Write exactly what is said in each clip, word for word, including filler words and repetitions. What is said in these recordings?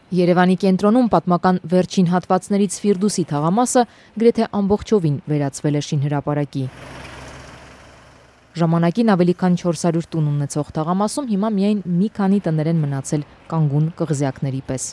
Երևանի կենտրոնում պատմական վերջին հատվածներից Ֆիրդուսի թաղամասը գրեթե ամբողջովին վերածվել է շինհրապարակի։ Ժամանակին ավելի քան չորս հարյուր տուն ունեցող թաղամասում հիմա միայն մի քանի տներ են մնացել կանգուն կղզյակների պես։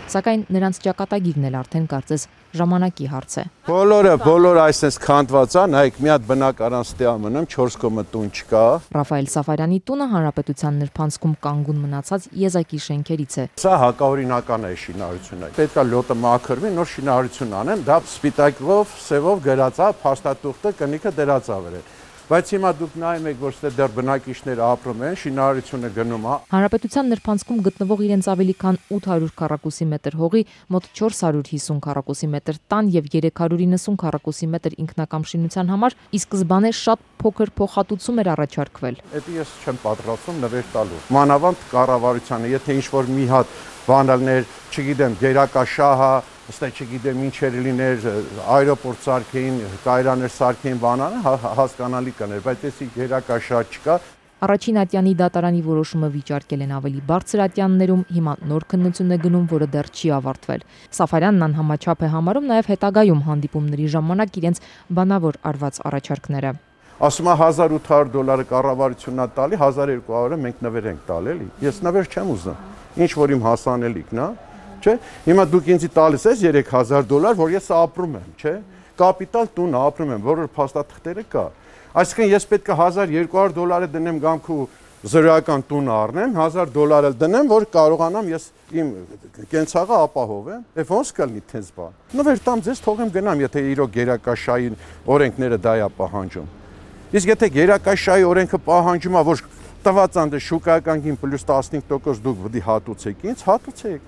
Սակայն նրանց ճակատագիրն էլ արդեն կարծես ժամանակի հարց է։ Բոլորը, բոլորը այսպես քանդված է, նայեք մի հատ բնակարան ստե մնում, չորս կողմը տուն չկա։ Ռաֆայել Սաֆարյանի տունը հանրապետության նրբանցքում կանգուն մնացած եզակի շենքերից է։ Սա հակաօրինական է շինարարությունը։ Պետք է լոտը մաքրվի, նոր շինարարություն անեն, դա սպիտակով, սևով գրած է, փաստաթուղթը կնիքը դրած է վրան։ Բայց հիմա դուք նայում եք, որ ստե դեռ բնակիչները ապրում են, շինարարությունը գնում է։ Հանրապետության նրբանցքում գտնվող իրենց ավելի քան ութ հարյուր քառակուսի մետր հողի մոտ չորս հարյուր հիսուն քառակուսի մետր տան եւ երեք հարյուր իննսուն քառակուսի մետր ինքնակամ շինության համար ի սկզբանե շատ փոքր փոխհատուցում էր առաջարկվել։ Դա ես չեմ պատրաստվում նվեր տալու։ Մանավանդ կառավարությանը, եթե ինչ-որ մի հատ բանալներ, չգիտեմ, գերակաշահը, ըստ չգիտեմ ինչեր լիներ, այրոպորտ սարքեին, կայարաններ սարքեին բանանը, հասկանալի կներ, բայց էսի գերակաշահ չկա։ Առաջին ատյանի դատարանի որոշումը վիճարկել են ավելի բարձր ատյաններում, հիմա նոր քննություն է գնում, որը դեռ չի ավարտվել։ Սաֆարյանն անհամաչափ է համարում նաև հետագայում հանդիպումների ժամանակ իրենց բանավոր արված առաջարկները։ Ասում է հազար ութ հարյուր դոլարը կառավարությունն է տալի, հազար երկու հարյուրը մենք նվեր ենք տալ, էլի։ Ես նվեր չեմ ուզում։ Ինչ որ իմ հասանելիքն է, չէ՞։ Հիմա դուք ինձ տալիս ես երեք հազար դոլար, որ ես ապրում եմ, չէ՞։ Կապիտալ տուն ապրում եմ, որը փաստաթղթերը կա։ Այսինքն ես պետք է հազար երկու հարյուր դոլարը դնեմ գամքու զրոյական տուն առնեմ, հազար դոլար էլ դնեմ, որ կարողանամ ես իմ կենցաղը ապահովեմ։ Եվ ոնց կլինի տես բան։ Նվեր տամ ձեզ թողեմ գնամ, եթե իրոք գերակաշահի օրենքները դա է պահանջում։ Իսկ եթե գերակաշահի օրենքը պահանջում է, որ տված անդը շուկայական գին պլյուս տասնհինգ տոկոս դուք վդի հատուցեք, ինձ հատուցեք։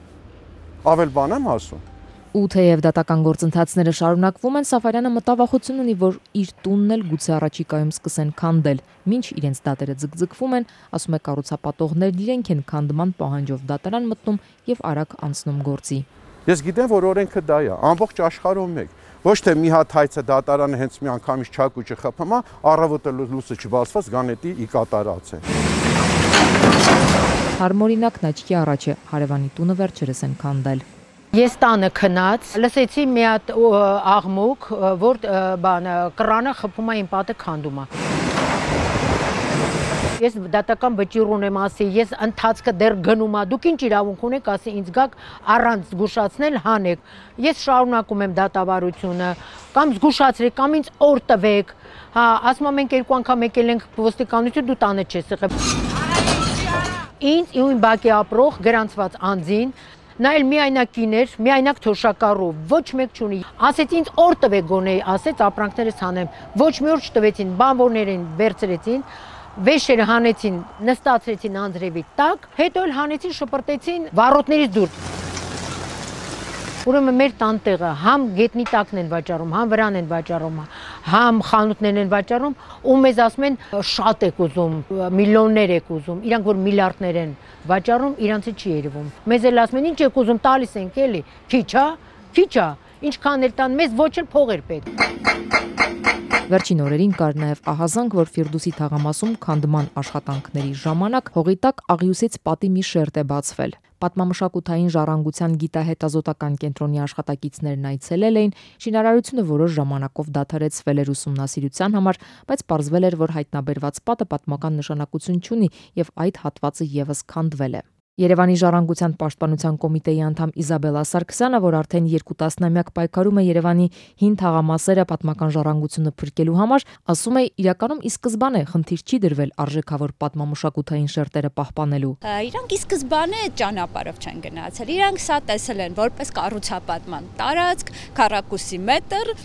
Ավել բան եմ ասում։ Ու թեև դատական գործընթացները շարունակվում են, Սաֆարյանը մտավախություն ունի, որ իր տունն էլ գուցե առաջիկայում սկսեն քանդել։ Մինչ իրենց դատերը ձգձգվում են, ասում է կառուցապատողներն իրենք են քանդման պահանջով դատարան մտնում եւ արագ անցնում գործի։ Ես գիտեմ, որ օրենքը դա է, ամբողջ աշխարհում մեկ։ Ոչ թե մի հատ հայցը դատարանը հենց մի անգամից չակուճը խփում է, առավոտը լույսը չբացված գանետի ի կատարած է։ Հարմօրինակն աչքի առաջ է, հարևանի տունը վերջերս են քանդել։ Ես տանը քնած, լսեցի մի հատ աղմուկ, որ բանը կռանը խփում է իմ պատը քանդում է։ Ես դատական վճիռ ունեմ, ասի, ես ընթացքը դեռ գնում է, դուք ինչ իրավունք ունեք, ասի, ինձ գաք առանց զգուշացնել հանեք։ Ես շարունակում եմ դատավարությունը, կամ զգուշացրեք, կամ ինձ օր տվեք։ Հա, ասում եմ մենք երկու անգամ եկել ենք ոստիկանություն, դու տանը չես եղել։ Ինձ իմ բակի ապրող գրանցված անձին նա էլ միայնակ կիներ, միայնակ թոշակառու, ոչ մեկ չունի։ Ասեց ինձ օր տվեք գոնե, ասեց ապրանքներս հանեմ։ Ոչ մի օր չտվեցին, բանվորներին վերցրեցին, վեշերը հանեցին, նստացրեցին անձրևի տակ, հետո էլ հանեցին, շպրտեցին վառոդներից դուրս։ Ուրեմն մեր տանտեղը համ գետնի տակն են վաճառում, համ վրան են վաճառում, համ խանութներն են վաճառում, ու մեզ ասում են շատ եք ուզում, միլիոններ եք ուզում, իրանք որ միլիարդներ են վաճառում, իրանցը չի երևում։ Մեզ էլ ասում են ինչ եք ուզում, տալիս ենք էլի, քիչ է, քիչ է, ինչքան էլ տան, մեզ ոչ էլ փող էր պետք։ Վերջին օրերին կար նաև ահազանգ, որ Ֆիրդուսի թաղամասում քանդման աշխատանքների ժամանակ հողի տակ աղյուսից պատի մի շերտ է բացվել։ Պատմամշակութային ժառանգության գիտահետազոտական կենտրոնի աշխատակիցներն այցելել էին, շինարարությունը որոշ ժամանակով դադարեցվել էր ուսումնասիրության համար, բայց պարզվել էր, որ հայտնաբերված պատը պատմական նշանակություն չունի եւ այդ հատվածը եւս քանդվել է։ Երևանի ժառանգության պաշտպանության կոմիտեի անդամ Իզաբելլա Սարգսյանը, որ արդեն երկու տասնամյակ պայքարում է Երևանի հին թաղամասերը պատմական ժառանգությունը փրկելու համար, ասում է իրականում ի սկզբանե խնդիր չի դրվել արժեքավոր պատմամշակութային շերտերը պահպանելու։ Իրանք ի սկզբանե ճանապարհով չեն գնացել, իրանք սա տեսել են որպես կառուցապատման տարածք, քառակուսի մետր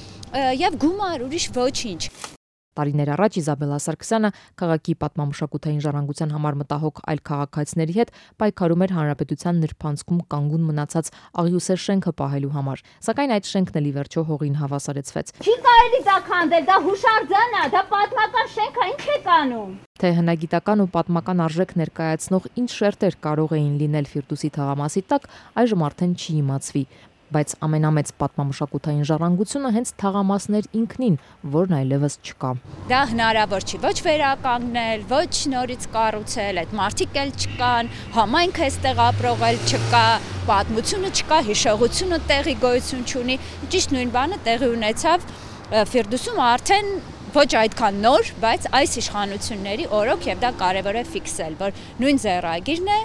եւ գումար, ուրիշ ոչինչ։ Տարիներ առաջ Իզաբելլա Սարգսյանը քաղաքի պատմամշակութային ժառանգության համար մտահոգ այլ քաղաքացիների հետ պայքարում էր հանրապետության նրբանցքում կանգուն մնացած աղյուսե շենքը պահելու համար, սակայն այդ շենքն էլ ի վերջո հողին հավասարեցվեց։ Չի կարելի դա քանդել, դա հուշարձան է, դա պատմական շենք է, ինչ եք անում։ Թե հնագիտական ու պատմական արժեք ներկայացնող ինչ շերտեր կարող էին լինել Ֆիրդուսի թաղամասի տակ, այժմ արդեն չի իմացվի։ Բայց ամենամեծ պատմամշակութային ժառանգությունը հենց թաղամասներ ինքնին, որն այլևս չկա։ Դա հնարավոր չի ոչ վերականգնել, ոչ նորից կառուցել, այդ մարդիկ էլ չկան, համայնքը այստեղ ապրող էլ չկա, պատմությունը չկա, հիշողությունը տեղի գոյություն չունի։ Ճիշտ նույն բանը տեղի ունեցավ Ֆիրդուսում արդեն ոչ այդքան նոր, բայց այս իշխանությունների օրոք եւ դա կարեւոր է ֆիքսել, որ նույն ձեռագիրն է,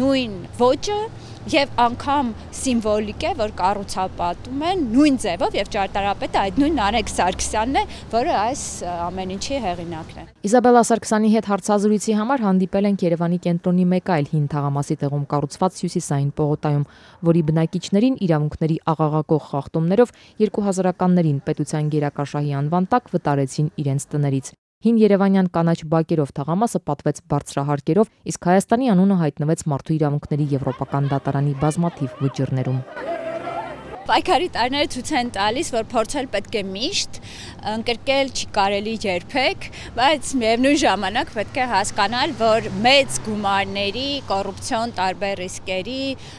նույն ոճը եւ անգամ սիմվոլիկ է, որ կառուցապատում են նույն ձևով եւ ճարտարապետը այդ նույն Նարեկ Սարգսյանն է, որը այս ամեն ինչի հեղինակն է։ Իզաբելլա Սարգսյանի հետ հարցազրույցի համար հանդիպել ենք Երևանի կենտրոնի մեկ այլ հին թաղամասի տեղում կառուցված Հյուսիսային պողոտայում, որի բնակիչներին իրավունքների աղաղակող խախտումներով երկու հազարականներին պետության գերակաշահի անվան տակ վտարեցին իրենց տներից։ Հին Երևանյան կանաչ բակերով թաղամասը պատվեց բարձրահարկերով, իսկ Հայաստանի անունը հայտնվեց Մարդու իրավունքների եվրոպական դատարանի բազմաթիվ վճիռներում։ Պայքարի տարիները ցույց են տալիս, որ փորձել պետք է միշտ, ընկրկել չի կարելի երբեք, բայց միևնույն ժամանակ պետք է հասկանալ, որ մեծ գումարների, կոռուպցիոն տարբեր ռիսկերի,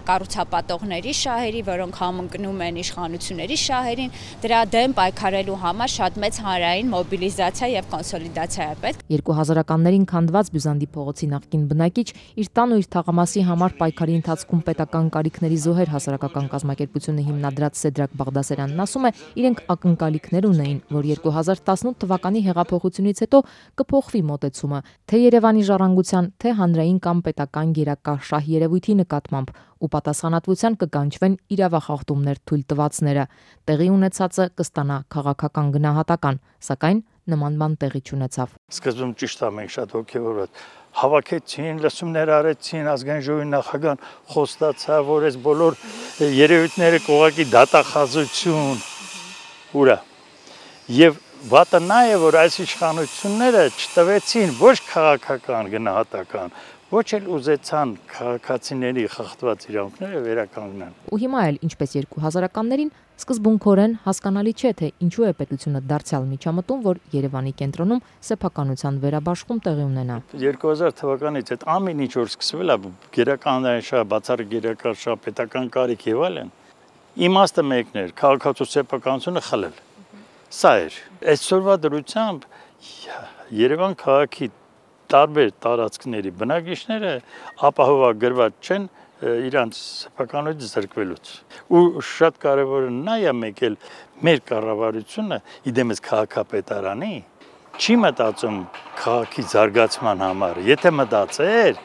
կառուցապատողների շահերի, որոնք համընկնում են իշխանությունների շահերին, դրա դեմ պայքարելու համար շատ մեծ հանրային մոբիլիզացիա եւ կոնսոլիդացիա է պետք։ երկու հազարականներին քանդված Բյուզանդի փողոցի նախկին բնակիչ իր տան ու իր թաղամասի համար պայքարի ընթացքում պետական կարիքների զոհեր հասարակական կազմակերպությունը հիմնադրած Սեդրակ Բաղդասարյանն ասում է, իրենք ակնկալիքներ ունեին, որ երկու հազար տասնութ թվականի հեղափոխությունից հետո կփոխվի մոտեցումը, թե Երևանի ժառանգության, թե հանրային կամ պետական գերակաշահ երևույթի նկատմամբ, ու պատասխանատվության կկանչվեն իրավախախտումներ թույլ տվածները։ Տեղի ունեցածը կստանա քաղաքական գնահատական, սակայն նման բան տեղի չունեցավ։ Սկզբում ճիշտ է, մենք շատ ոգևորված հավաքեցին, լսումներ արեցին, ազգային ժողովի նախագահան խոստացավ, որ այս բոլոր երևույթները կողակի դատախազություն ուրա։ Եվ վատը նա է, որ այս իշխանությունները չտվեցին ոչ քաղաքական գնահատական, ոչ էլ ուզեցան քաղաքացիների խախտված իրավունքները վերականգնեն։ Ու հիմա էլ, ինչպես երկու հազարականներին, սկզբունքորեն հասկանալի չէ, թե ինչու է պետությունը դարձյալ միջամտում, որ Երևանի կենտրոնում սեփականության վերաբաշխում տեղի ունենա։ երկու հազար թվականից այդ ամեն ինչ որ սկսվել է, գերականային շահ, բացառիկ գերական շահ, պետական կարիք եւ այլն, իմաստը մեկն էր, քաղաքացու սեփականությունը խլել։ Սա էր։ Այսօրվա դրությամբ Երևան քաղաքի տարբեր տարածքների բնակիչները ապահովագրված չեն իրանց սեփականությունից զրկվելուց։ Ու շատ կարևորը նա է մեկ էլ մեր կառավարությունը իդեմս քաղաքապետարանի չի մտածում քաղաքի զարգացման համար։ Եթե մտածեր,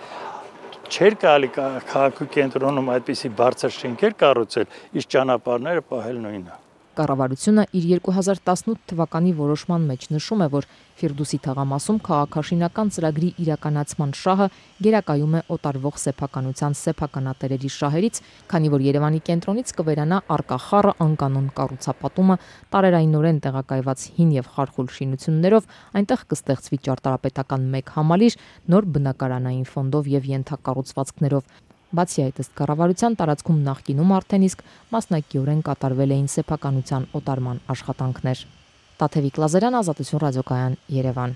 չէր կարելի քաղաքի կենտրոնում այդպիսի բարձր շենքեր կառուցել, իսկ ճանապարհները պահել նույնը։ Կառավարությունը իր երկու հազար տասնութ թվականի որոշման մեջ նշում է, որ Ֆիրդուսի թաղամասում քաղաքաշինական ծրագրի իրականացման շահը գերակայում է օտարվող սեփականության սեփականատերերի շահերից, քանի որ Երևանի կենտրոնից կվերանա առկա խառը անկանոն կառուցապատումը, տարերայնորեն տեղակայված հին եւ խարխուլ շինություններով, այնտեղ կստեղծվի ճարտարապետական մեկ համալիր, նոր բնակարանային ֆոնդով եւ ենթակառուցվածքներով։ Բացի այդ, ըստ կառավարության տարածքում նախկինում արդեն իսկ մասնակիորեն կատարվել էին սեփականության օտարման աշխատանքներ։ Տաթևիկ Լազարյան, Ազատություն ռադիոկայան, Երևան։